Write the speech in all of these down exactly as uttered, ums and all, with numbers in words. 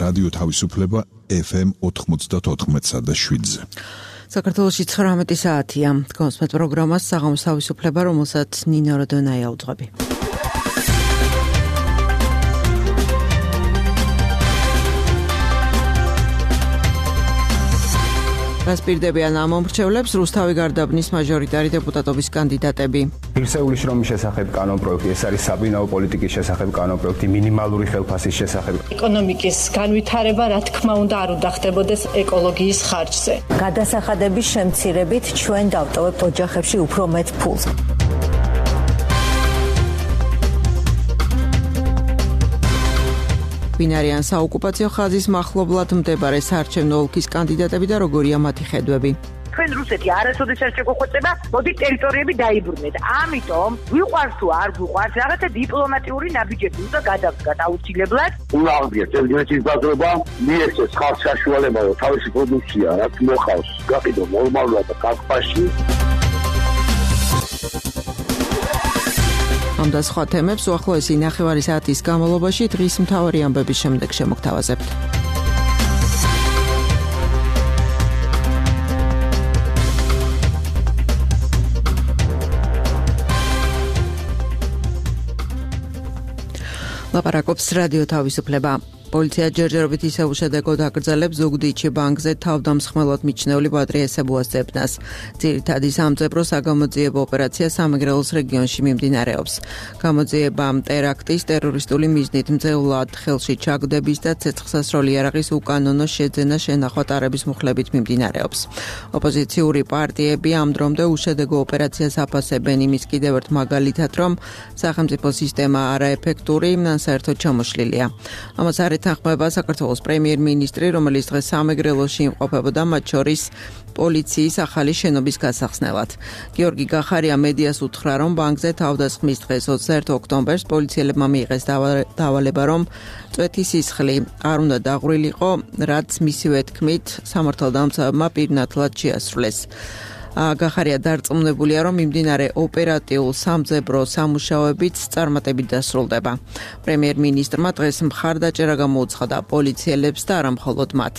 რადიო თავისუფლება ეფ ემ ოთხმოცდაოთხ და შვიდზე. საქართველოში ცხრამეტი საათია. გონსმეთ პროგრამას საღამოს თავისუფლება, რომელსაც ნინო როდონაია უძღვები. გასპირდებიან ამ მომრჩევლებს რუსთავი გარდაბნის მაჟორიტარი დეპუტატობის კანდიდატები. ღირსეული შრომის შესახებ კანონპროექტი, ეს არის საბინაო პოლიტიკის შესახებ კანონპროექტი, მინიმალური ხელფასის შესახებ. ეკონომიკის განვითარება, რა თქმა უნდა, არ უნდა ხდებოდეს ეკოლოგიის ხარჯზე. გადასახადების შემცირებით ჩვენ დავტოვებთ ოჯახებში უფრო მეტ ფულს. ვინ არიან საოკუპაციო ხაზის მახლობლად მდებარე საარჩევნო ოლქის კანდიდატები და როგორია მათი ხედვები? ჩვენ რუსეთი არასოდეს არ შეგვეხვეწება, მოდი ტერიტორიები დაიბრუნეთ. ამიტომ ვიყვარს თუ არ ვიყვარს, რაღაცა დიპლომატიური ნაბიჯები უნდა გადავდგათ აუცილებლად. უნდა აღდგეს ელჯერეთის ბაზრობა, მიეცეს ხალხს საშუალება თავისი პროდუქცია, რაც მოხავს, გაყიდო ნორმალურად და კაკფაში. ამ და სხვა თემებს უახლოესი ნახევარი საათის განმავლობაში დღის მთავარი ამბების შემდეგ შემოგთავაზებთ. ლაპარაკობს რადიო თავისუფლება. პოლიცია ჯერჯერობით ისევ უშედეგოდ აკრძალებს ზუგდიდში ბანკზე თავდამსხმელად მიჩნეული ბადრი ესებუას ძებნას. ძირითადი სამძებრო საგამოძიებო ოპერაცია სამეგრელოს რეგიონში მიმდინარეობს. გამოძიება ტერაქტის, ტერორისტული მიზნით მძევლად ხელში ჩაგდების და ცეცხლსასროლი იარაღის უკანონო შეძენა შენახვა-ტარების მუხლებით მიმდინარეობს. ოპოზიციური პარტიები ამ დრომდე უშედეგო ოპერაციას აფასებენ იმის კიდევ ერთ მაგალითად, რომ სახელმწიფო სისტემა არაეფექტური, საერთოდ ჩამოშლილია. ამას არ ეთანხმება საქართველოს პრემიერ-მინისტრი, რომელიც დღეს სამეგრელოში იმყოფებოდა, მათ შორის პოლიციის ახალი შენობის გასახსნელად. გიორგი გახარია მედიას უთხრა, რომ ბანკზე თავდასხმის დღეს ოცდაერთი ოქტომბერს პოლიციელებმა მიიღეს დავალება, რომ წვეთი სისხლი არ უნდა დაღვრილიყო, რაც მისივე თქმით სამართალდამცავებმა პირნათლად შეასრულეს. გახარია დარწმუნებულია, რომ მიმდინარე ოპერატიულ სამძებრო სამუშაოებიც წარმატებით დასრულდება. პრემიერ-მინისტრმა დღეს მხარდაჭერა გამოუცხადა პოლიციელებს და არა მხოლოდ მათ.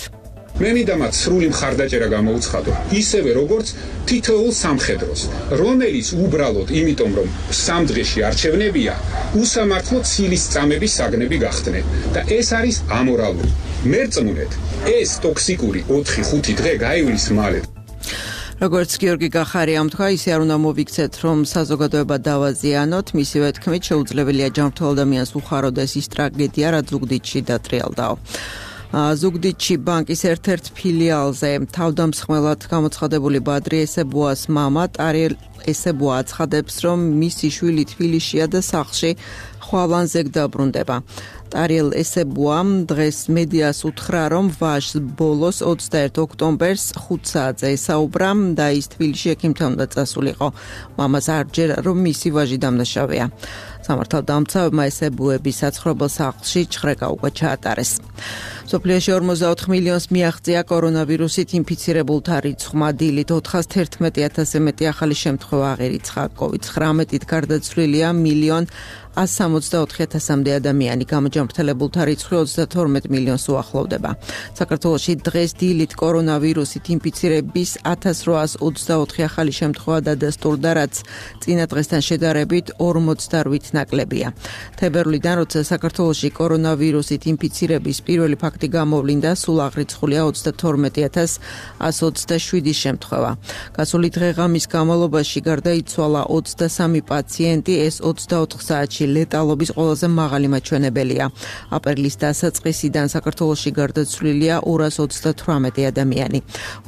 მე მინდა მათ სრული მხარდაჭერა გამოუცხადო, ისევე როგორც თითოეულ სამხედროს, რომელიც უბრალოდ იმიტომ, რომ სამ დღეში არჩევნებია, უსამართლო ცილის წამების საგნები გახდნენ და ეს არის ამორალური. მერწმუნეთ, ეს ტოქსიკური ოთხი ხუთი დღე გაივლის მალე. როგორც გიორგი გახარიამ თქვა, ისე არ უნდა მოვიქცეთ, რომ საზოგადოება დავაზიანოთ, მისივე თქმით შეუძლებელია ჯანმრთელ ადამიანს უხაროდეს ის ტრაგედია, რაც ზუგდიდში დატრიალდაო. ზუგდიდში ბანკის ერთ-ერთ ფილიალზე თავდამსხმელად გამოცხადებული ბადრი ესებუას მამა ტარიელ ესებუა აცხადებს, რომ მისი შვილი თბილისშია და სახლში ხვალანზე დაბრუნდება. ტარიელ ესებუამ დღეს მედიას უთხრა, რომ ვაჟს ბოლოს ოცდაერთი ოქტომბერს ხუთ საათზე ესაუბრა და ის თბილისში ექიმთან უნდა წასულიყო. მამას არ ჯერა, რომ მისი ვაჟი დამნაშავეა. სამართალდამცავებმა ესებუების საცხოვრებელ სახლში ჩხრეკა უკვე ჩაატარეს. მსოფლიოში ორმოცდაოთხ მილიონს მიაღწია კორონავირუსით ინფიცირებულთა რიცხვმა. დილით ოთხას თერთმეტი ათასზე მეტი ახალი შემთხვევა აღერიცხა. კოვიდ ცხრამეტით გარდაცვლილია მილიონ ას სამოცდაოთხი ათასამდე ადამიანი. გამოჯანმრთელებულთა რიცხვი ოცდათორმეტ მილიონს უახლოვდება. საქართველოში დღეს დილით კორონავირუსით ინფიცირების ათას რვაას ოცდაოთხი ახალი შემთხვევა დადასტურდა, რაც წინა დღესთან შედარებით ორმოცდაოთხით ნაკლებია. თებერვლიდან, როცა საქართველოში კორონავირუსით ინფიცირების პირველი ფაქტი გამოვლინდა, სულ აღრიცხულია ოცდათორმეტი ათას ას ოცდაშვიდი შემთხვევა. გასული დღე-ღამის განმავლობაში გარდაიცვალა ოცდასამი პაციენტი, ეს ოცდაოთხ საათში ლეტალობის ყველაზე მაღალი მაჩვენებელია. აპრილის დასაწყისიდან საქართველოში გარდაცვლილია ორას ოცდათვრამეტი ადამიანი.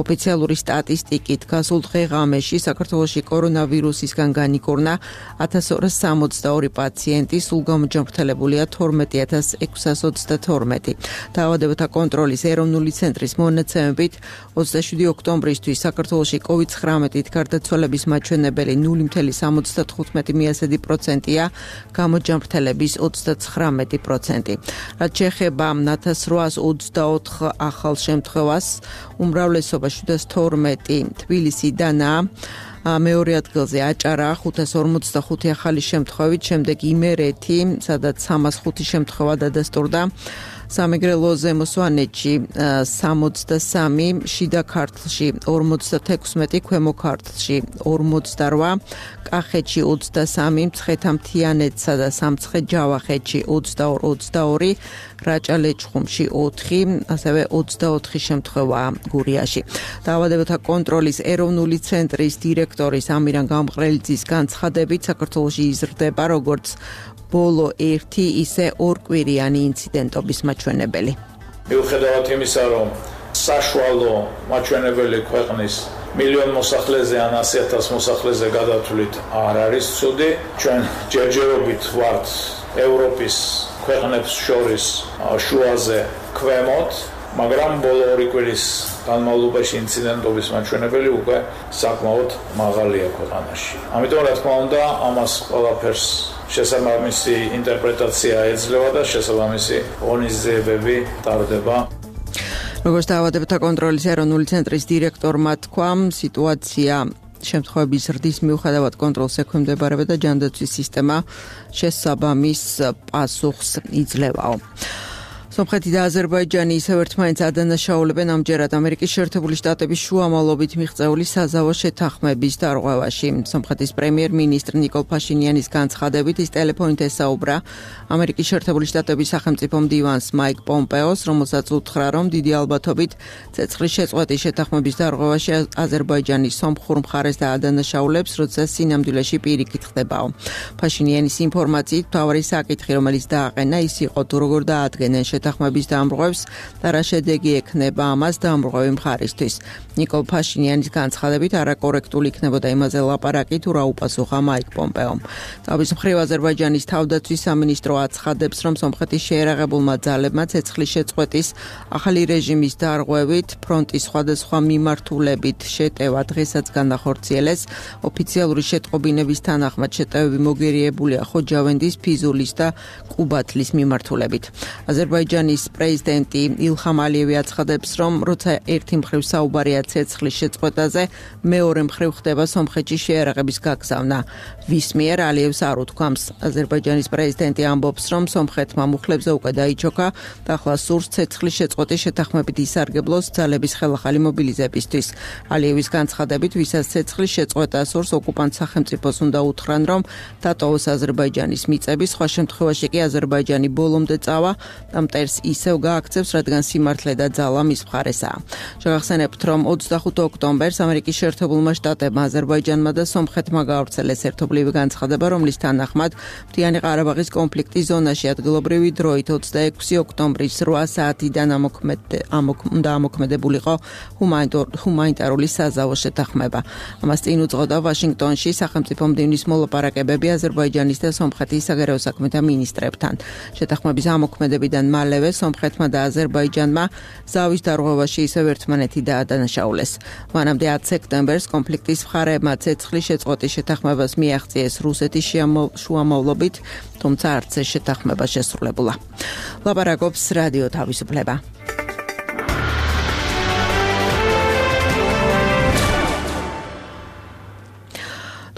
ოფიციალური სტატისტიკით გასულ დღე-ღამეში საქართველოში კორონავირუსისგან განიკურნა ათას ორას სამოცდაორი პაციენტი, სულ გამოჯანმრთელებულია თორმეტი ათას ექვსას ოცდათორმეტი. დაავადებათა კონტროლის ეროვნული ცენტრის მონაცემებით ოცდაშვიდი ოქტომბრისთვის საქართველოში კოვიდ ცხრამეტით გარდაცვალების მაჩვენებელი ნული მცდარი სამოცდათხუთმეტი პროცენტია, გამოჯანმრთელების ოცდაცხრამეტი პროცენტი. რაც შეეხება ათას რვაას ოცდაოთხ ახალ შემთხვევას, უმრავლესობა შვიდას თორმეტი თბილისიდანაა. მეორე ადგილზე აჭარა ხუთას ორმოცდახუთი ახალი შემთხვევით, შემდეგ იმერეთი, სადაც სამას ხუთი შემთხვევა დადასტურდა. სამეგრელო ზემო სვანეთში სამოცდასამი, შიდა ქართლში ორმოცდათექვსმეტი, ქვემო ქართლში ორმოცდარვა, კახეთში ოცდასამი, მცხეთა-მთიანეთსა და სამცხე-ჯავახეთში ოცდაორი ოცდაორი, რაჭა-ლეჩხუმში ოთხი, ასევე ოცდაოთხი შემთხვევაა გურიაში. დაავადებათა კონტროლის ეროვნული ცენტრის დირექტორის ამირან გამყრელიძის განცხადებით საქართველოში იზრდება როგორც ბოლო ერთი, ისე ორკვირიანი ინციდენტობის მაჩვენებელი. მიუხედავად იმისა, რომ საშუალო მაჩვენებელი ქვეყნის მილიონ მოსახლეზე ან ასი ათას მოსახლეზე გადათვლით არ არის ცუდი, ჩვენ ჯერჯერობით ვართ ევროპის ქვეყნებს შორის შუაზე ქვემოთ, მაგრამ ბოლო ორი კვირის განმავლობაში ინციდენტობის მაჩვენებელი უკვე საკმაოდ მაღალია ქვეყანაში. ამიტომ რა თქმა უნდა, ამას ყველაფერს შესაბამისი ინტერპრეტაცია ეძლევა და შესაბამისი ღონისძიებები ტარდება. როგორც დაავადებათა კონტროლის ეროვნული ცენტრის დირექტორმა თქვა, სიტუაცია შემთხვევების ზრდის მიუხედავად კონტროლს ექვემდებარება და ჯანდაცვის სისტემა შესაბამის პასუხს იძლევაო. სომხეთი და აზერბაიჯანი ისევ ერთმანეთს ადანაშაულებენ ამჯერად ამერიკის შეერთებული შტატების შუამავლობით მიღწეული საზავო შეთანხმების დარღვევაში. სომხეთის პრემიერ-მინისტრ ნიკოლ ფაშინიანის განცხადებით ის ტელეფონით ესაუბრა ამერიკის შეერთებული შტატების სახელმწიფო მდივანს მაიკ პომპეოს, რომელსაც უთხრა, რომ დიდი ალბათობით ცეცხლის შეწყვეტის შეთანხმების დარღვევაში აზერბაიჯანი სომხურ მხარეს დაადანაშაულებს, როცა სინამდვილეში პირიქით ხდებაო. ფაშინიანის ინფორმაციით მთავარი საკითხი, რომელიც დააყენა, ის იყო თუ როგორ დაადგენენ შეთანხმების დამრღვევს და რა შედეგი ექნება ამას დამრღვევი მხარისთვის. ნიკოლ ფაშინიანის განცხადებით არაკორექტული იქნებოდა იმაზე ლაპარაკი, თუ რა უპასუხა მაიკ პომპეომ. თავის მხრივ აზერბაიჯანის თავდაცვის სამინისტრო აცხადებს, რომ სომხეთის შეერაღებულმა ძალებმა ცეცხლის შეწყვეტის ახალი რეჟიმის დარღვევით ფრონტის სხვადასხვა მიმართულებით შეტევა დღესაც განახორციელეს. ოფიციალური შეტყობინების თანახმად შეტევები მოგერიებულია ხოჯავენდის, ფიზულის და ყუბათლის მიმართულებით. აზერბაიჯანის პრეზიდენტი ილჰამ ალიევი აცხადებს, რომ როცა ერთი მხრივ საუბარია ცეცხლის შეწყვეტაზე, მეორე მხრივ ხდება სომხეთში შეერაღების გაგზავნა. ვის მიერ ალიევს არ უთქვამს. აზერბაიჯანის პრეზიდენტი ამბობს, რომ სომხეთმა მუხლებზე უკვე დაიჩოქა და ახლა სურს ცეცხლის შეწყვეტის შეთანხმებით ისარგებლოს ძალების ხელახალი მობილიზებისთვის. ალიევის განცხადებით, ვისაც ცეცხლის შეწყვეტა სურს, ოკუპანტ სახელმწიფოს უნდა უთხრან, რომ დატოვოს აზერბაიჯანის მიწები, სხვა შემთხვევაში კი აზერბაიჯანი ბოლომდე წავა და მტერს ისევ გააქცევს, რადგან სიმართლე და ძალა მის მხარესაა. შევახსენებთ, რომ ოცდახუთი ოქტომბერს ამერიკის შეერთებულმა შტატებმა აზერბაიჯანმა და სომხეთმა გაავრცელეს ერთობლივი განცხადება, რომლის თანახმად მთიანი ყარაბაღის კონფლიქტის ზონაში ადგილობრივი დროით ოცდაექვსი ოქტომბრის რვა საათიდან უნდა ამოქმედებულიყო ჰუმანიტარული საზავო შეთანხმება. ამას წინ უძღოდა ვაშინგტონში სახელმწიფო მდივნის მოლაპარაკებები აზერბაიჯანის და სომხეთის საგარეო საქმეთა მინისტრებთან. შეთანხმების ამოქმედებიდან მალევე სომხეთმა და აზერბაიჯანმა ზავის დარღვევაში ისევ ერთმანეთი დაადანაშაულეს. მანამდე ათი სექტემბერს კონფლიქტის მხარეებმა ცეცხლის შეწყვეტის შეთანხმებას მიაღწიეს რუსეთის შუამავლობით, თუმცა არც ეს შეთანხმება შესრულებულა. ლაპარაკობს რადიო თავისუფლება.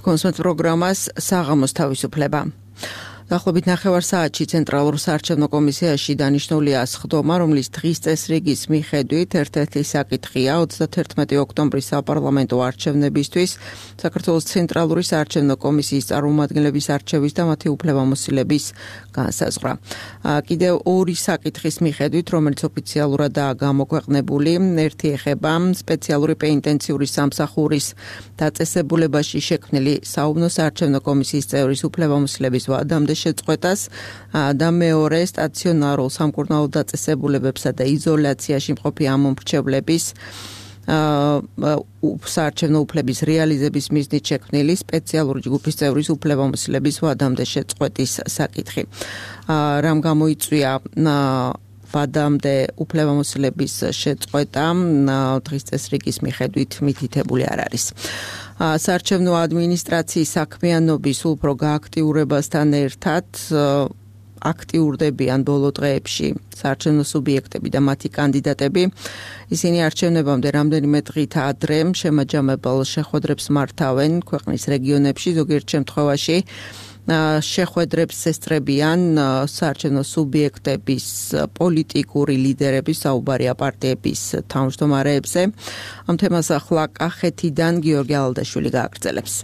კონსულტ პროგრამას საღამოს თავისუფლება. დაახლოებით ნახევარ საათში ცენტრალურ საარჩევნო კომისიაში დანიშნულია სხდომა, რომლის დღის წესრიგის მიხედვით ერთ-ერთი საკითხია ოცდათერთმეტი ოქტომბრის საპარლამენტო არჩევნებისთვის საქართველოს ცენტრალური საარჩევნო კომისიის წარმომადგენლების არჩევის და მათი უფლებამოსილების განსაზღვრა. კიდევ ორი საკითხის მიხედვით, რომელიც ოფიციალურადაა გამოქვეყნებული, ერთი ეხება სპეციალური პენიტენციური სამსახურის დაწესებულებაში შექმნილი საუბნო საარჩევნო კომისიის წევრის უფლებამოსილების ვადამდე შეწყვეტას და მეორე სტაციონარულ სამკურნალო დაწესებულებებსა და იზოლაციაში მყოფი ამომრჩევლების საარჩევნო უფლების რეალიზების მიზნით შექმნილი სპეციალური ჯგუფის წევრის უფლებამოსილების ვადამდე შეწყვეტის საკითხი. რამ გამოიწვია ვადამდე უფლებამოსილების შეწყვეტა დღის წესრიგის მიხედვით მითითებული არ არის. საარჩევნო ადმინისტრაციის საქმიანობის უფრო გააქტიურებასთან ერთად აქტიურდებიან ბოლო დღეებში საარჩევნო სუბიექტები და მათი კანდიდატები. ისინი არჩევნებამდე რამდენიმე დღით ადრე შემაჯამებელ შეხვედრებს მართავენ ქვეყნის რეგიონებში, ზოგიერთ შემთხვევაში შეხვედრებს ესწრებიან საარჩევნო სუბიექტების პოლიტიკური ლიდერების საუბარია პარტიების თავმჯდომარეებზე. ამ თემას ახლა კახეთიდან გიორგი ალდაშვილი გააგრძელებს.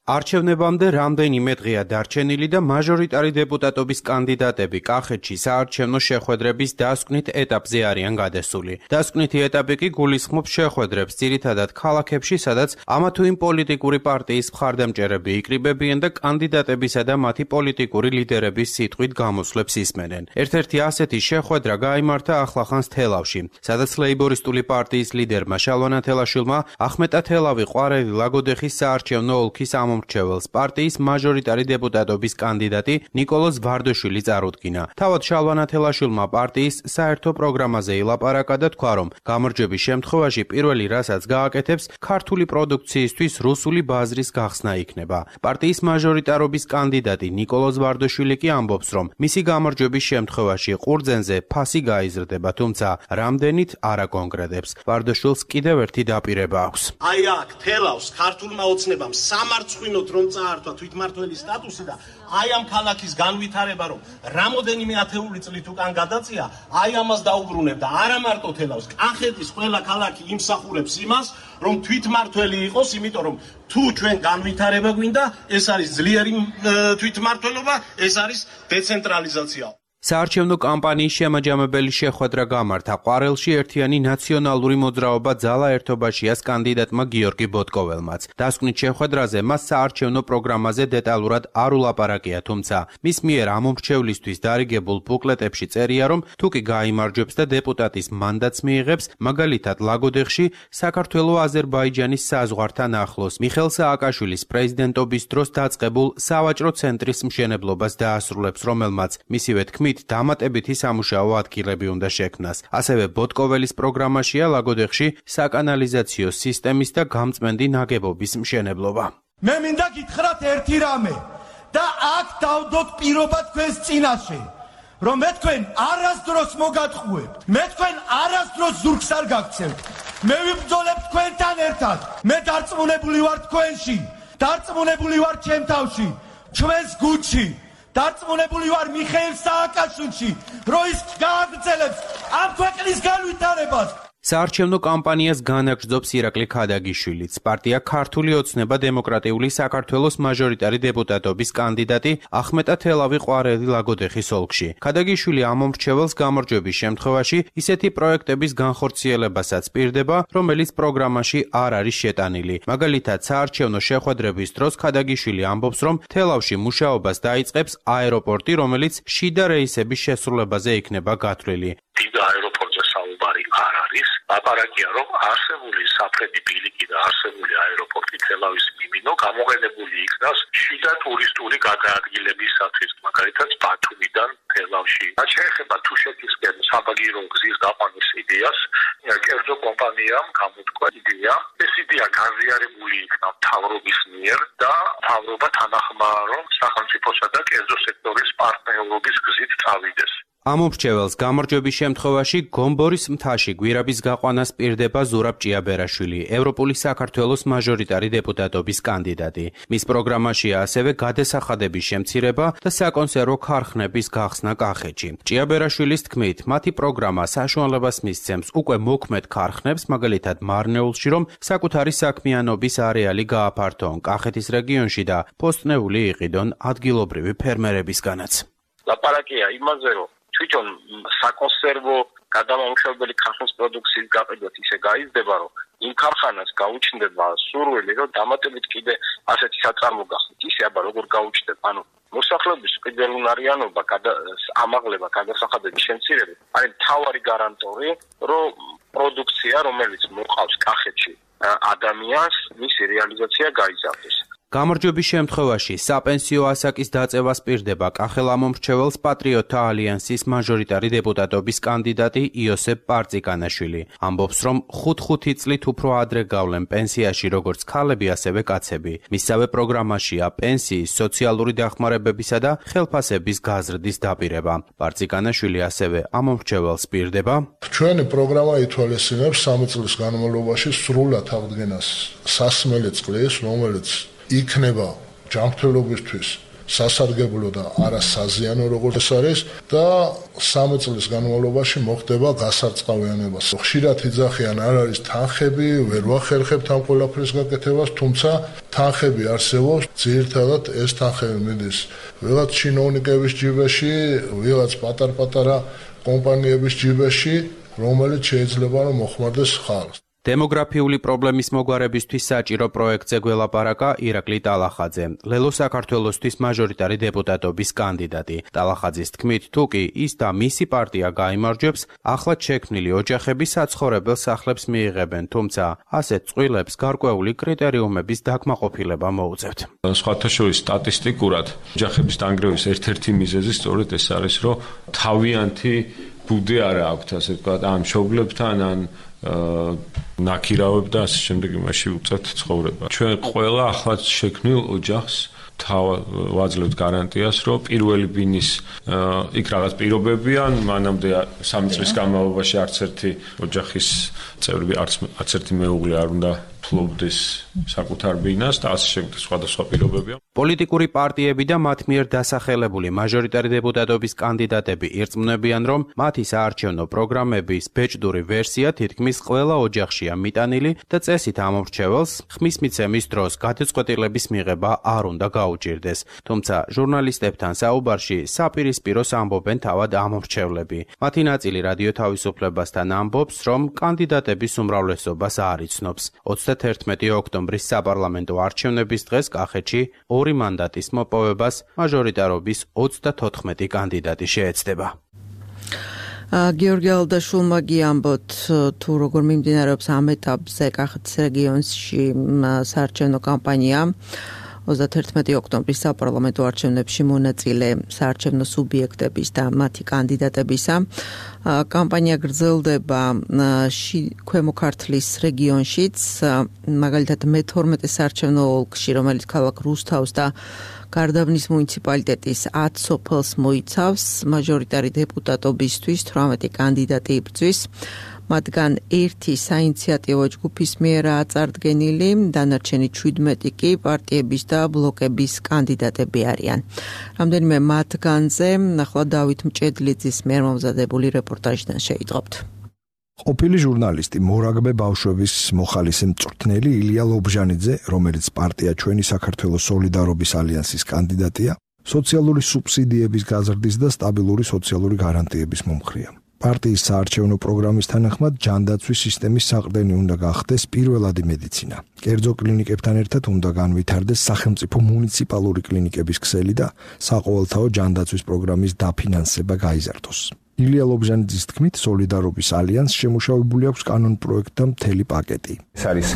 არჩევნებამდე რამდენიმე დღეა დარჩენილი და მაჟორიტარი დეპუტატობის კანდიდატები კახეთში საარჩევნო შეხვედრების დასკვნით ეტაპზე არიან გადასული. დასკვნითი ეტაპი კი გულისხმობს შეხვედრებს ძირითადად ქალაქებში, სადაც ამა თუ იმ პოლიტიკური პარტიის მხარდამჭერები იკრიბებიან და კანდიდატებისა და მათი პოლიტიკური ლიდერების სიტყვით გამოსვლებს ისმენენ. ერთ-ერთი ასეთი შეხვედრა გაიმართა ახლახანს თელავში, სადაც ლეიბორისტული პარტიის ლიდერმა შალვა თელაშვილმა ახმეტა თელავი ყვარელი ლაგოდეხის საარჩევნო ოლქის ამომრჩეველს პარტიის მაჟორიტარი დეპუტატობის კანდიდატი ნიკოლოზ ვარდოშვილი წარუდგინა. თავად შალვა თელაშვილმა პარტიის საერთო პროგრამაზე ილაპარაკა და თქვა, რომ გამარჯვების შემთხვევაში პირველი რასაც გააკეთებს, ქართული პროდუქციისთვის რუსული ბაზრის გახსნა იქნება. პარტიის მაჟორიტარობის კანდიდატი ნიკოლოზ ვარდოშვილი კი ამბობს, რომ მისი გამარჯვების შემთხვევაში ყურძენზე ფასი გაიზრდება, თუმცა რამდენით არ აკონკრეტებს. ვარდოშვილს კიდევ ერთი დაპირება აქვს. აი აქ თელავს ქართულმა ოცნებამ სამარცხვინოდ რომ წაართვა თვითმმართველის სტატუსი და აი ამ ქალაქის განვითარება რომ რამოდენიმე ათეული წლით უკან გადაწია, აი ამას დაუბრუნებ და არა მარტო თელავს, კახეთის ყველა ქალაქი იმსახურებს იმას, რომ თვითმმართველი იყოს, იმიტომ რომ თუ ჩვენ განვითარება გვინდა, ეს არის ძლიერი თვითმმართველობა, ეს არის დეცენტრალიზაცია. საარჩევნო კამპანიის შემაჯამებელი შეხვედრა გამართა ყვარელში ერთიანი ნაციონალური მოძრაობა ძალა ერთობაშიას კანდიდატმა გიორგი ბოტკოველმაც. დასკვნით შეხვედრაზე მას საარჩევნო პროგრამაზე დეტალურად არ ულაპარაკია, თუმცა მის მიერ ამომრჩევლისთვის დარიგებულ ბუკლეტებში წერია, რომ თუ კი გაიმარჯვებს და დეპუტატის მანდატს მიიღებს, მაგალითად ლაგოდეხში საქართველო-აზერბაიჯანის საზღვართან ახლოს მიხელ სააკაშვილის პრეზიდენტობის დროს დაწყებულ სავაჭრო ცენტრის მშენებლობას დაასრულებს, რომელმაც მისივე თქმით დამატებითი სამუშაო ადგილები უნდა შექმნას. ასევე ბოტკოველის პროგრამაშია ლაგოდეხში საკანალიზაციო სისტემის და გამწმენდი ნაგებობის მშენებლობა. მე მინდა გითხრათ ერთი რამე და აქ დავდოთ პირობა თქვენს წინაშე, რომ მე თქვენ არასდროს მოგატყუებთ, მე თქვენ არასდროს ზურგს არ გაგცევთ. მე ვიბრძოლებ თქვენთან ერთად. მე დარწმუნებული ვარ თქვენში, დარწმუნებული ვარ ჩემ თავში, ჩვენს გუნდში. დარწმუნებული ვარ მიხეილ სააკაშვილში, რომ ის გააგრძელებს ამ ქვეყნის განვითარებას. საარჩევნო კამპანიას განაგრძობს ირაკლი ქადაგიშვილიც. პარტია ქართული ოცნება დემოკრატიული საქართველოს მაჟორიტარი დეპუტატობის კანდიდატი ახმეტა თელავი ყვარელი ლაგოდეხის ოლქში. ქადაგიშვილი ამომრჩეველს გამარჯვების შემთხვევაში ისეთი პროექტების განხორციელებასაც პირდება, რომელიც პროგრამაში არ არის შეტანილი. მაგალითად, საარჩევნო შეხვედრების დროს ქადაგიშვილი ამბობს, რომ თელავში მუშაობას დაიწყებს აეროპორტი, რომელიც შიდა რეისების შესრულებაზე იქნება გათვლილი. დიდ აეროპორტზე საუბარი არ არის. ლაპარაკია, რომ არსებული საფრენი ბილიკი და არსებული აეროპორტი თელავის მიმინო გამოყენებული იქნას შიდა ტურისტული გადაადგილებისათვის, მაგალითად ბათუმიდან თელავში. რაც შეეხება თუშეთისკენ საბაგირო გზის გაყვანის იდეას, კერძო კომპანიამ გამოთქვა იდეა. ეს იდეა განზიარებული იქნა მთავრობის მიერ და მთავრობა თანახმაა, რომ სახელმწიფოსა და კერძო სექტორის პარტნიორობის გზით წავიდეს. ამომრჩეველს გამარჯვების შემთხვევაში გომბორის მთაში გვირაბის გაყვანას პირდება ზურაბ ჭიაბერაშვილი, ევროპული საქართველოს მაჟორიტარი დეპუტატობის კანდიდატი. მის პროგრამაშია ასევე გადასახადების შემცირება და საკონსერვო ქარხნების გახსნა კახეთში. ჭიაბერაშვილის თქმით, მათი პროგრამა საშუალებას მისცემს უკვე მოქმედ ქარხნებს, მაგალითად მარნეულში, რომ საკუთარი საქმიანობის არეალი გააფართოონ კახეთის რეგიონში და პოსტნეული იყიდონ ადგილობრივი ფერმერებისგანაც. ლაპარაკია იმაზე, რომ თვითონ საკონსერვო გადამამუშავებელი ქარხნის პროდუქციის გაყიდვით ისე გაიზრდება, რომ იმ ქარხანას გაუჩნდება სურვილი, რომ დამატებით კიდე ასეთი საწარმო გახდეთ. ისე აბა როგორ გაუჩნდება, ანუ მოსახლეობის ყიდველუნარიანობა, ამაღლება, გადასახადების შემცირება, არის მთავარი გარანტორი, რომ პროდუქცია, რომელიც მოყავს კახეთში ადამიანს, მისი რეალიზაცია გაიზარდეს. გამარჯვების შემთხვევაში საპენსიო ასაკის დაწევას პირდება კახელ ამომრჩეველს პატრიოტთა ალიანსის მაჟორიტარი დეპუტატობის კანდიდატი იოსებ პარწიკანაშვილი. ამბობს, რომ ხუთ-ხუთი წლით უფრო ადრე გავლენ პენსიაში როგორც ქალები, ასევე კაცები. მისსავე პროგრამაშია პენსიის, სოციალური დახმარებებისა და ხელფასების გაზრდის დაპირება. პარწიკანაშვილი ასევე ამომრჩეველს პირდება. ჩვენი პროგრამა ითვალისწინებს სამი წლის განმავლობაში სრულად აღდგენას სასმელი წყლის, რომელიც იქნება ჯანმრთელობისთვის სასარგებლო და არასაზიანო როგორც ეს არის და სამი წლის განმავლობაში მოხდება გასარწყავიანება. ხშირად იძახიან არ არის თანხები, ვერ ვახერხებთ ამ ყველაფრის გაკეთებას, თუმცა თანხები არსებობს, ძირითადად ეს თანხები მიდის ვიღაც ჩინოვნიკების ჯიბეში, ვიღაც პატარ-პატარა კომპანიების ჯიბეში, რომელიც შეიძლება რომ მოხმარდეს ხალხს. დემოგრაფიული პრობლემის მოგვარებისთვის საჭირო პროექტზე გველაპარაკა ირაკლი ტალახაძე, ლელო საქართველოსთვის მაჟორიტარი დეპუტატობის კანდიდატი. ტალახაძის თქმით, თუ კი ის და მისი პარტია გაიმარჯვებს, ახლად შექმნილი ოჯახები საცხოვრებელ სახლებს მიიღებენ, თუმცა ასეთ წყვილებს გარკვეული კრიტერიუმების დაკმაყოფილება მოუწევთ. სხვათა შორის სტატისტიკურად ოჯახების დანგრევის ერთ-ერთი მიზეზი სწორედ ეს არის, რომ თავიანთი ბუდი არ აქვთ, ასე ვთქვათ, ამ მშობლებთან ან ნაქირავებ და ასე შემდეგ იმაში უწევთ ცხოვრება. ჩვენ ყველა ახლად შექმნილ ოჯახს ვაძლევთ გარანტიას, რომ პირველი ბინის იქ რაღაც პირობებია, მანამდე სამი წლის განმავლობაში არც ერთი ოჯახის წევრები, არც ერთი მეუღლე არ უნდა ფლობდეს საკუთარ ბინას და ასე შემდეგ სხვადასხვა პირობებია. პოლიტიკური პარტიები და მათ მიერ დასახელებული მაჟორიტარი დეპუტატობის კანდიდატები ირწმუნებიან, რომ მათი საარჩევნო პროგრამების ბეჭდური ვერსია თითქმის ყველა ოჯახშია მიტანილი და წესით ამორჩეველს ხმის მიცემის დროს გადაწყვეტილების მიღება არ უნდა გაუჭირდეს. თუმცა ჟურნალისტებთან საუბარში საპირისპიროს ამბობენ თავად ამორჩევლები. მათი ნაწილი რადიო თავისუფლებასთან ამბობს, რომ კანდიდატების უმრავლესობას არ იცნობს. ოცდათერთმეტი ოქტომბრის საპარლამენტო არჩევნების დღეს კახეთში ორი მანდატის მოპოვებას მაჟორიტარობის ოცდათოთხმეტი კანდიდატი შეეცდება. გიორგი ალდაშულმა გიამბოთ, თუ როგორ მიმდინარეობს ამ ეტაპზე კახეთის რეგიონში საარჩევნო კამპანია. ოცდათერთმეტი ოქტომბრის საპარლამენტო არჩევნებში მონაწილე საარჩევნო სუბიექტების და მათი კანდიდატებისა. კამპანია გრძელდება ქვემო ქართლის რეგიონშიც, მაგალითად მეთორმეტე საარჩევნო ოლქში, რომელიც ქალაქ რუსთავს და გარდაბნის მუნიციპალიტეტის ათ სოფელს მოიცავს, მაჟორიტარი დეპუტატობისთვის თვრამეტი კანდიდატი იბრძვის. მათგან ერთი საინიციატივო ჯგუფის მიერაა წარდგენილი, დანარჩენი ჩვიდმეტი კი პარტიების და ბლოკების კანდიდატები არიან. რამდენიმე მათგანზე ახლა დავით მჭედლიძის მიერ მომზადებული რეპორტაჟიდან შეიტყობთ. ყოფილი ჟურნალისტი მორაგბე ბავშვების მოხალისე მწვრთნელი ილია ლობჟანიძე, რომელიც პარტია ჩვენი საქართველოს სოლიდარობის ალიანსის კანდიდატია, სოციალური სუბსიდიების გაზრდის და სტაბილური სოციალური გარანტიების მომხრეა. პარტიის საარჩევნო პროგრამის თანახმად ჯანდაცვის სისტემის საყრდენი უნდა გახდეს პირველადი მედიცინა. კერძო კლინიკებთან ერთად უნდა განვითარდეს სახელმწიფო მუნიციპალური კლინიკების ქსელი და საყოველთაო ჯანდაცვის პროგრამის დაფინანსება გაიზარდოს. ილია ლობჟანიძის თქმით, სოლიდარობის ალიანსს შემუშავებული აქვს კანონპროექტთა მთელი პაკეტი. ეს არის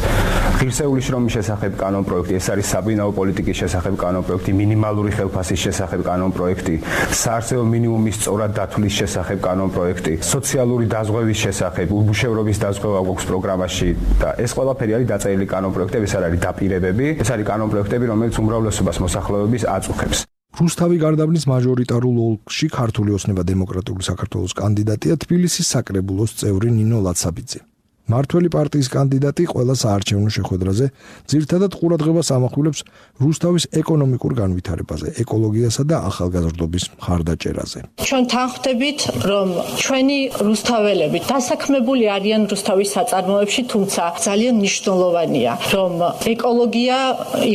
ღირსეული შრომის შესახებ კანონპროექტი, ეს არის საბინაო პოლიტიკის შესახებ კანონპროექტი, მინიმალური ხელფასის შესახებ კანონპროექტი, საარსებო მინიმუმის სწორად დათვლის შესახებ კანონპროექტი, სოციალური დაზღვევის შესახებ, უბუშევრობის დაზღვევა გვაქვს პროგრამაში და ეს ყველაფერი არის დაწერილი კანონპროექტები, ეს არ არის დაპირებები, ეს არის კანონპროექტები, რომელიც უმრავლესობას მოსახლეობის აწუხებს. რუსთავი გარდაბნის მაჟორიტარულ ოლქში ქართული ოცნება დემოკრატიული საქართველოს კანდიდატია თბილისის საკრებულოს წევრი ნინო ლაცაბიძე. მართველი პარტიის კანდიდატი ყველა საარჩევნო შეხვედრაზე ძირითადად ყურადღებას ამახვილებს რუსთავის ეკონომიკურ განვითარებაზე, ეკოლოგიასა და ახალგაზრდობის მხარდაჭერაზე. ჩვენ თანხმდებით, რომ ჩვენი რუსთაველები დასაქმებული არიან რუსთავის საწარმოებში, თუმცა ძალიან მნიშვნელოვანია, რომ ეკოლოგია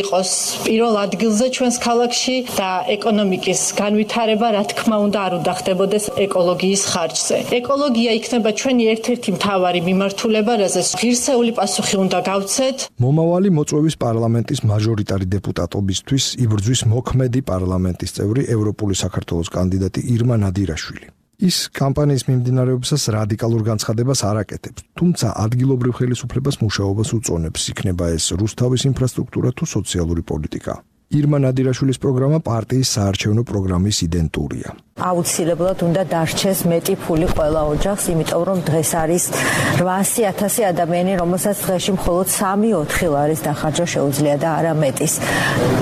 იყოს პირველ ადგილზე ჩვენს ქალაქში და ეკონომიკის განვითარება, რა თქმა უნდა, არ უნდა ხდებოდეს ეკოლოგიის ხარჯზე. ეკოლოგია იქნება ჩვენი ერთ-ერთი მთავარი მიმართულება, რაზეც ღირსეული პასუხი უნდა გავცეთ. მომავალი მოწვევის პარლამენტის მაჟორიტარი დეპუტატობისთვის იბრძვის მოქმედი პარლამენტის წევრი ევროპული საქართველოს კანდიდატი ირმა ნადირაშვილი. ის კამპანიის მიმდინარეობისას რადიკალურ განცხადებას არ აკეთებს, თუმცა ადგილობრივ ხელისუფლებას მუშაობას უწონებს, იქნება ეს რუსთავის ინფრასტრუქტურა თუ სოციალური პოლიტიკა. ირმა ნადირაშვილის პროგრამა პარტიის საარჩევნო პროგრამის იდენტურია. აუცილებლად უნდა დარჩეს მეტი ფული ყველა ოჯახს, იმიტომ რომ დღეს არის რვაასი ათასი ადამიანი, რომელსაც დღეში მხოლოდ სამი ოთხი ლარის დახარჯვა შეუძლია და არა მეტის.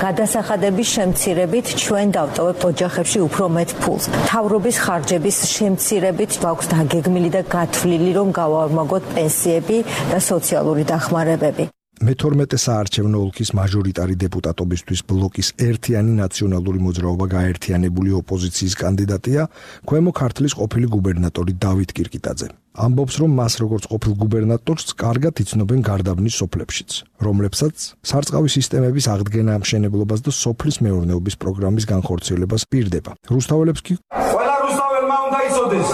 გადასახადების შემცირებით ჩვენ დავტოვებთ ოჯახებში უფრო მეტ ფულს. მთავრობის ხარჯების შემცირებით გვაქვს დაგეგმილი და გათვლილი, რომ გავარმაგოთ პენსიები და სოციალური დახმარებები. მეთორმეტე საარჩევნო ოლქის მაჟორიტარი დეპუტატობისთვის ბლოკის ერთიანი ნაციონალური მოძრაობა გაერთიანებული ოპოზიციის კანდიდატია ქვემო ქართლის ყოფილი გუბერნატორი დავით კირკიტაძე. ამბობს, რომ მას როგორც ყოფილ გუბერნატორს კარგად იცნობენ გარდაბნის სოფლებშიც, რომლებსაც სარწყავი სისტემების აღდგენა ამშენებლობას და სოფლის მეურნეობის პროგრამის განხორციელებას პირდება. რუსთაველებს კი ყველა რუსთაველმა უნდა იცოდეს,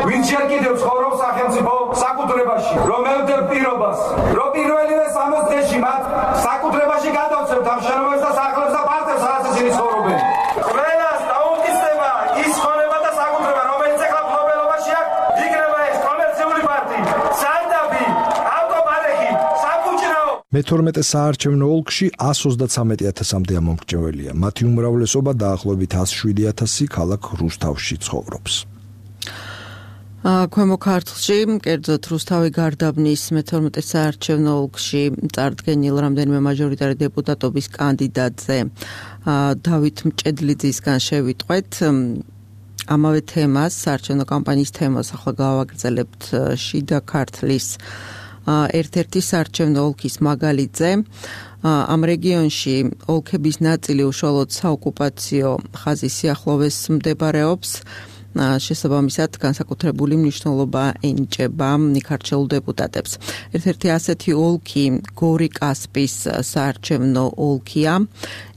ვინც ჯერ კიდევ ცხოვრობს სახელმწიფო საკუთრებაში, რომ ელდებ პირობას, რომ პირველივე სამოცდ წელში მათ საკუთრებაში გადავცემთ ამ შენობებს და სახლებს და პარტებს, სადაც ისინი ცხოვრობენ. ყველას დაუკისდება ის ხონება და საკუთრება, რომელიც ახლა მფლობელობაში აქვს, იქნება ეს კომერციული პარტი, სარდაბი, ავტოპარკი, საფუჭრაო. მეთორმეტე საარჩევნო ოლქში ას ოცდათსამეტი ათასამდე ამომრჩეველია. მათი უმრავლესობა დაახლოებით ას შვიდი ათასი ქალაქ რუსთავში ცხოვრობს. ქვემო ქართლში, კერძოდ რუსთავი გარდაბნის მეთორმეტე საარჩევნო ოლქში წარდგენილ რამდენიმე მაჟორიტარი დეპუტატობის კანდიდატზე დავით მჭედლიძისგან შევიტყვეთ ამავე თემას, საარჩევნო კამპანიის თემას ახლა გავაგრძელებთ შიდა ქართლის ერთ-ერთი საარჩევნო ოლქის მაგალითზე. ამ რეგიონში ოლქების ნაწილი უშუალოდ საოკუპაციო ხაზის სიახლოვეს მდებარეობს. შესაბამისად განსაკუთრებული მნიშვნელობა ენიჭება იქ არჩეულ დეპუტატებს. ერთ-ერთი ასეთი ოლქი გორი-კასპის საარჩევნო ოლქია.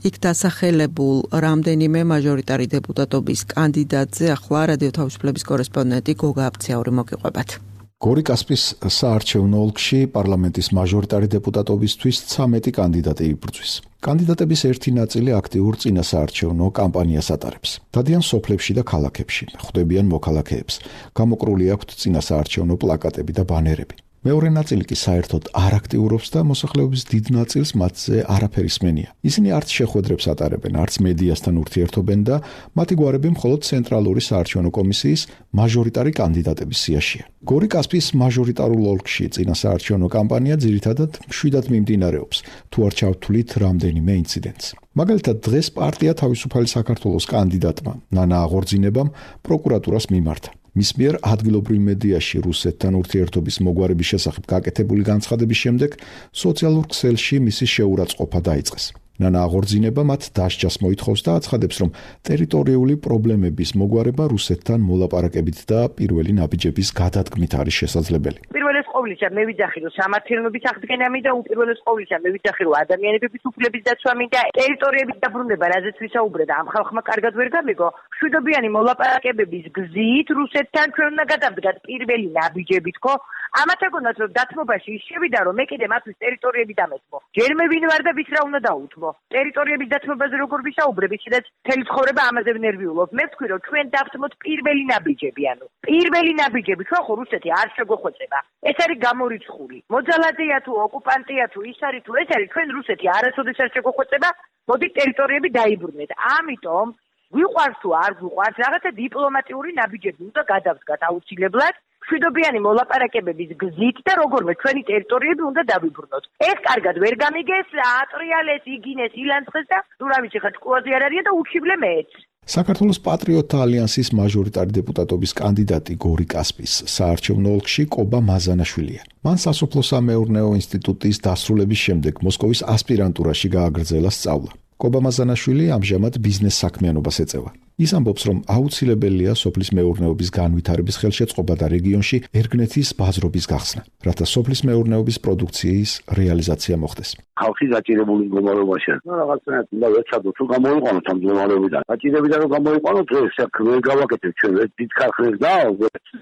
იქ დასახელებულ რამდენიმე მაჟორიტარი დეპუტატობის კანდიდატზე ახლა რადიო თავისუფლების კორესპონდენტი გოგა აფციაური მოგიყვებათ. გორი-კასპის საარჩევნო ოლქში პარლამენტის მაჟორიტარი დეპუტატობისთვის ცამეტი კანდიდატი იბრძვის. კანდიდატების ერთი ნაწილი აქტიურ წინასაარჩევნო კამპანიას ატარებს. დადიან სოფლებში და ქალაქებში, ხვდებიან მოქალაქეებს. გამოკრული აქვთ წინასაარჩევნო პლაკატები და ბანერები. მეორე ნაწილი კი საერთოდ არ აქტიურობს და მოსახლეობის დიდ ნაწილს მათზე არაფერი სმენია. ისინი არც შეხვედრებს ატარებენ, არც მედიასთან ურთიერთობენ და მათი გვარები მხოლოდ ცენტრალური საარჩევნო კომისიის მაჟორიტარი კანდიდატების სიაშია. გორი-კასპის მაჟორიტარულ ოლქში წინასაარჩევნო კამპანია ძირითადად მშვიდად მიმდინარეობს, თუ არ ჩავთვლით რამდენიმე ინციდენტს. მაგალითად, დღეს პარტია თავისუფალი საქართველოს კანდიდატმა ნანა აღორძინებამ პროკურატურას მიმართა. მის მიერ ადგილობრივ მედიაში რუსეთთან ურთიერთობის მოგვარების შესახებ გაკეთებული განცხადების შემდეგ სოციალურ ქსელში მისი შეურაცხყოფა დაიწყეს. ნანა აღორძინება მათ დასჯას მოითხოვს და აცხადებს, რომ ტერიტორიული პრობლემების მოგვარება რუსეთთან მოლაპარაკებით და პირველი ნაბიჯების გადადგმით არის შესაძლებელი. პირველეს ყოვლისა მე ვიძახი, რომ სამართლიანობის აღდგენა მინდა, უპირველეს ყოვლისა მე ვიძახი, რომ ადამიანების უფლების დაცვა მინდა, ტერიტორიების დაბრუნება, რაზეც ვისაუბრე და ამ ხალხმა კარგად ვერ გამიგო. მშვიდობიანი მოლაპარაკებების გზით რუსეთთან ჩვენ უნდა გადავდგათ პირველი ნაბიჯებით, ხო? ამათ ეგონათ, რომ დათმობაში ის შევიდა, რომ მე კიდე მათთვის ტერიტორიები დამეთმო. ჯერ მე ვინ ვარ და ვის რა უნდა დაუთმო. ტერიტორიების დათმობაზე როგორ ვისაუბრებ, ისედაც მთელი ცხოვრება ამაზე ვნერვიულობ. მე ვთქვი, რომ ჩვენ დავთმოთ პირველი ნაბიჯები, ანუ პირველი ნაბიჯები, ჩვენ ხო რუსეთი არ შეგვეხვეწება. ეს არის გამორიცხული. მოძალადეა თუ ოკუპანტია თუ ის არის თუ ეს არის, ჩვენ რუსეთი არასოდეს არ შეგვეხვეწება, მოდით ტერიტორიები დაიბრუნეთ. ამიტომ გვიყვარს თუ არ გვიყვარს, რაღაცა დიპლომატიური ნაბიჯები უნდა გადავდგათ აუცილებლად. მშვიდობიანი მოლაპარაკებების გზით და როგორმე ჩვენი ტერიტორიები უნდა დავიბრუნოთ. ეს კარგად ვერ გამიგეს, ატრიალეს, იგინეს, ილანცხეს და თუ რა ვიცი ხა ჭკუაზე არ არიან და უჩივლე მეც. საქართველოს პატრიოტთა ალიანსის მაჟორიტარი დეპუტატობის კანდიდატი გორი-კასპის საარჩევნო ოლქში კობა მაზანაშვილია. მან სასოფლო-სამეურნეო ინსტიტუტის დასრულების შემდეგ მოსკოვის ასპირანტურაში გააგრძელა სწავლა. კობა მაზანაშვილი ამჟამად ბიზნეს საქმიანობას ეწევა. ის ამბობს, რომ აუცილებელია სოფლის მეურნეობის განვითარების ხელშეწყობა და რეგიონში ერგნეთის ბაზრობის გახსნა, რათა სოფლის მეურნეობის პროდუქციის რეალიზაცია მოხდეს. ხალხი გაჭირებული მდგომარეობაშია. ნუ რაღაცნაირად უნდა ვეცადოთ, თუ გამოიყვანოთ ამ მდგომარეობიდან. გაჭირებიდან რომ გამოიყვანოთ, ეს ვერ გავაკეთებთ ჩვენ, ეს დიდ ქარხნებს და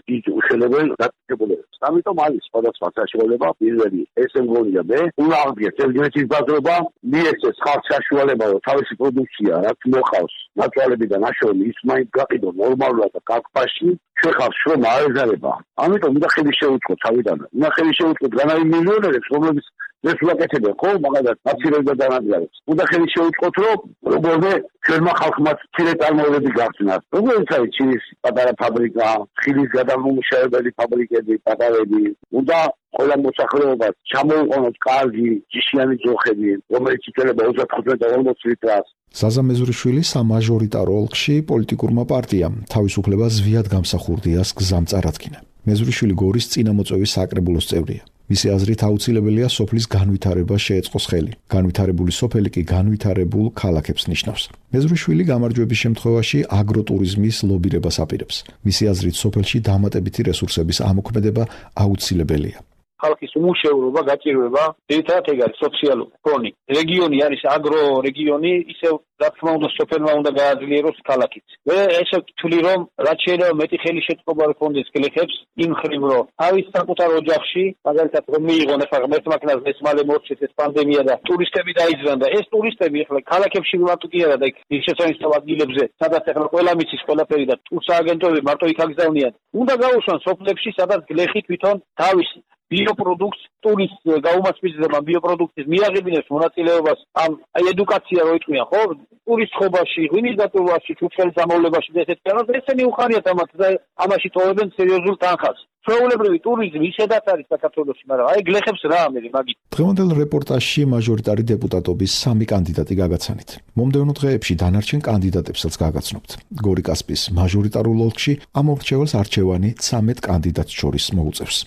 დიდ უშელებელ დაწესებულებებს. ამიტომ არის სხვადასხვა საშუალება. პირველი, ესე მგონია მე, უნდა აღდგეს ერგნეთის ბაზრობა, მიეცეს ხალხს საშუალება, რომ თავისი პროდუქცია რაც მოყავს ნაცვალებიდან აშოვი ის მაინც გაყიდო ნორმალურად და კაკფაში შეხავს შრომა არ ეზარება. ამიტომ უნდა ხელი შეუწყოთ თავიდან. უნდა ხელი შეუწყოთ განაი მილიონერებს, რომლებიც ეს ვაკეთებენ ხო, მაგალითად აცილებს და დანადგარებს. უნდა ხელი შეუწყოთ, რომ როგორმე ჩვენმა ხალხმა ცირე წარმოებები გახსნათ. როგორც არის ჩინის პატარა ფაბრიკა, ხილის გადამამუშავებელი ფაბრიკები, პატარები. უნდა ყველა მოსახლეობას ჩამოუყენოთ კარგი ჯიშიანი ძოხები, რომელიც იწელება ოცდათხუთმეტ ორმოც ლიტრას. ზაზა მეზურიშვილი სამაჟორიტარო ოლქში პოლიტიკურმა პარტიამ თავისუფლება ზვიად გამსახურდიას გზამ წარადგინა. მეზურიშვილი გორის წინამოწვევის საკრებულოს წევრია. მისი აზრით აუცილებელია სოფლის განვითარება შეეწყოს ხელი. განვითარებული სოფელი კი განვითარებულ ქალაქებს ნიშნავს. მეზრუშვილი გამარჯვების შემთხვევაში აგროტურიზმის ლობირებას აპირებს. მისი აზრით სოფელში დამატებითი რესურსების ამოქმედება აუცილებელია. ხალხის უმუშევრობა გაჭირვება ერთად ეგ არის სოციალური ფონი. რეგიონი არის აგრო რეგიონი, ისევ რა თქმა უნდა სოფელმა უნდა გააძლიეროს ქალაქიც. მე ესე ვთვლი რომ რაც შეიძლება მეტი ხელი შეწყობა ჰქონდეს გლეხებს იმ ხრივ რომ თავის საკუთარ ოჯახში მაგალითად რომ მიიღონ ახლა ღმერთმაკნას მესმალე მორჩეს ეს პანდემია და ტურისტები დაიძრან და ეს ტურისტები ახლა ქალაქებში მარტო კი არა და იქ შესანიშნავ ადგილებზე სადაც ახლა ყველა მიცის ყველაფერი და ტურსააგენტოები მარტო იქ აგზავნიან. უნდა გაუშვან სოფლებში სადაც გლეხი თვითონ თავის ბიოპროდუქტს ტურის გაუმასპინძლება ბიოპროდუქტის მიაღებინებს მონაწილეობას ამ აი ედუკაცია რო იტყვიან ხო ტურის ხობაში ღვინის დატოვებაში ჩუქშელის ამოვლებაში და ესეთ რაღაცა ესენი უხარიათ ამათ და ამაში ტოვებენ სერიოზულ თანხას ჩვეულებრივი ტურიზმი ისედაც არის საქართველოში მაგრამ აი გლეხებს რა ამერი მაგით დღევანდელ რეპორტაჟში მაჟორიტარი დეპუტატობის სამი კანდიდატი გაგაცანით მომდევნო დღეებში დანარჩენ კანდიდატებსაც გაგაცნობთ გორიკასპის მაჟორიტარულ ოლქში ამ ორჩეულს არჩევანი ცამეტ კანდიდატს შორის მოუწევს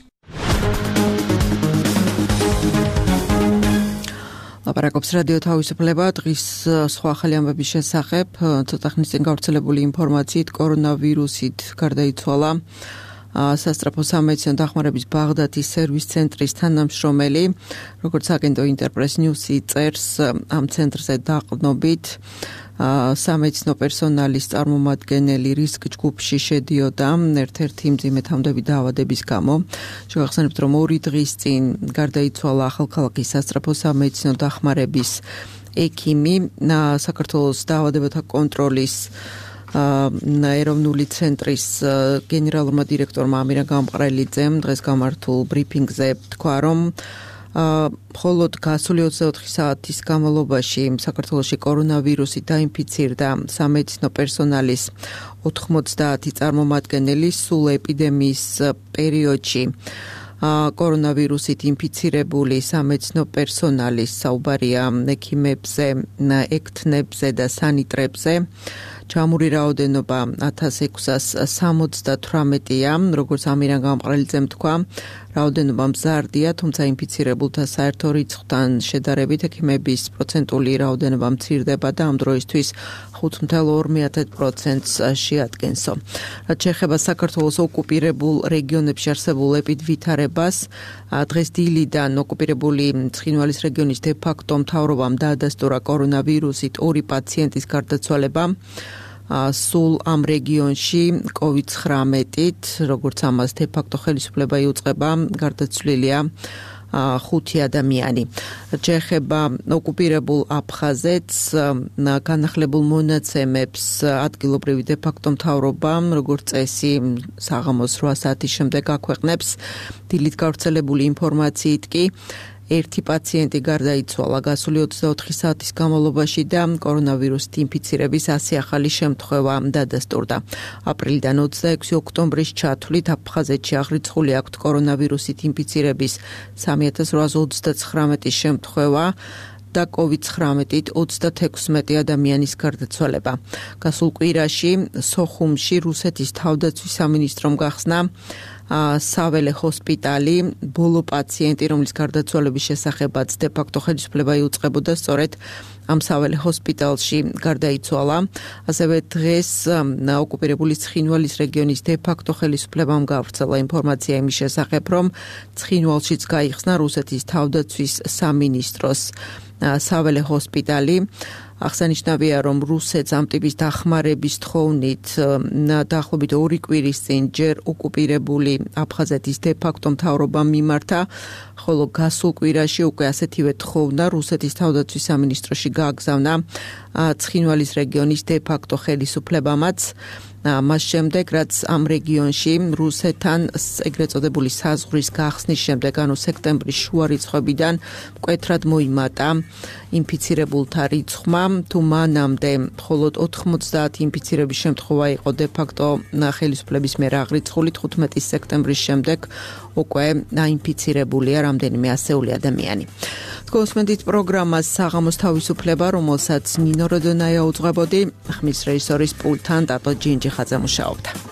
ლაპარაკობს რადიო თავისუფლება დღის სხვა ახალი ამბების შესახებ ცოტა ხნის წინ გავრცელებული ინფორმაციით კორონავირუსით გარდაიცვალა სასწრაფო სამედიცინო დახმარების ბაღდათის სერვის ცენტრის თანამშრომელი როგორც აგენტო ინტერპრეს ნიუსი წერს ამ ცენტრზე დაყრდნობით სამედიცინო პერსონალის წარმომადგენელი რისკ ჯგუფში შედიოდა ერთ-ერთი მძიმე თავმდაბი დაავადების გამო. შევახსენებთ, რომ ორი დღის წინ გარდაიცვალა ახალქალაქის სასწრაფო სამედიცინო დახმარების ექიმი, საქართველოს დაავადებათა კონტროლის ეროვნული ცენტრის გენერალურმა დირექტორმა ამირა გამყრელიძემ დღეს გამართულ ბრიფინგზე თქვა, რომ მხოლოდ გასული ოცდაოთხი საათის განმავლობაში საქართველოში კორონავირუსით დაინფიცირდა სამედიცინო პერსონალის ოთხმოცდაათი წარმომადგენელი სულ ეპიდემიის პერიოდში კორონავირუსით ინფიცირებული სამედიცინო პერსონალის საუბარია ექიმებზე, ექთნებზე და სანიტრებზე ჩამური რაოდენობა ათას ექვსას სამოცდათვრამეტია, როგორც ამირან გამყრელიძემ თქვა, რაოდენობა მზარდია, თუმცა ინფიცირებულთა საერთო რიცხვთან შედარებით ექიმების პროცენტული რაოდენობა მცირდება და ამ დროისთვის ხუთ ნული ორი პროცენტს შეადგენსო. რაც შეეხება საქართველოს ოკუპირებულ რეგიონებში არსებულ ეპიდვითარებას, დღეს დილიდან ოკუპირებული ცხინვალის რეგიონის დე-ფაქტო მთავრობამ დაადასტურა კორონავირუსით ორი პაციენტის გარდაცვალება. სულ ამ რეგიონში კოვიდ ცხრამეტით, როგორც ამას დე-ფაქტო ხელისუფლება იუწყება, გარდაცვლილია ხუთი ადამიანი. შეეხება ოკუპირებულ აფხაზეთს, განახლებულ მონაცემებს ადგილობრივი დე-ფაქტო მთავრობა, როგორც წესი, საღამოს რვა საათის შემდეგ აქვეყნებს. დილით გავრცელებული ინფორმაციით კი ერთი პაციენტი გარდაიცვალა გასული ოცდაოთხი საათის განმავლობაში და კორონავირუსით ინფიცირების ასი ახალი შემთხვევა დადასტურდა. აპრილიდან ოცდაექვსი ოქტომბრის ჩათვლით აფხაზეთში აღრიცხული აქვთ კორონავირუსით ინფიცირების სამი ათას რვაასი ოცდაცხრამეტი შემთხვევა და კოვიდ ცხრამეტით ოცდათექვსმეტი ადამიანის გარდაცვალება. გასულ კვირაში სოხუმში რუსეთის თავდაცვის სამინისტრომ გახსნა საველე ჰოსპიტალი, ბოლო პაციენტი, რომლის გარდაცვალების შესახებაც დე-ფაქტო ხელისუფლება იუწყებოდა, სწორედ ამ საველე ჰოსპიტალში გარდაიცვალა. ასევე დღეს ოკუპირებული ცხინვალის რეგიონის დე-ფაქტო ხელისუფლებამ გავრცელა ინფორმაცია იმის შესახებ, რომ ცხინვალშიც გაიხსნა რუსეთის თავდაცვის სამინისტროს საველე ჰოსპიტალი. აღსანიშნავია, რომ რუსეთს ამ ტიპის დახმარების თხოვნით დაახლოებით ორი კვირის წინ ჯერ ოკუპირებული აფხაზეთის დე-ფაქტო მთავრობამ მიმართა, ხოლო გასულ კვირაში უკვე ასეთივე თხოვნა რუსეთის თავდაცვის სამინისტროში გააგზავნა ცხინვალის რეგიონის დე-ფაქტო ხელისუფლებამაც. მას შემდეგ, რაც ამ რეგიონში რუსეთთან ეგრეთ წოდებული საზღვრის გახსნის შემდეგ, ანუ სექტემბრის შუა რიცხვებიდან მკვეთრად მოიმატა ინფიცირებულთა რიცხვმა, თუ მანამდე მხოლოდ ოთხმოცდაათი ინფიცირების შემთხვევა იყო დე-ფაქტო ხელისუფლების მიერ აღრიცხული, თხუთმეტი სექტემბრის შემდეგ უკვე დაინფიცირებულია რამდენიმე ასეული ადამიანი. გოსმენდით პროგრამას საღამოს თავისუფლება, რომელსაც ნინო როდონაია უძღვებოდი, ხმის რეჟისორის პულტთან ტატო ჯინჯი ხაძე მუშაობდა.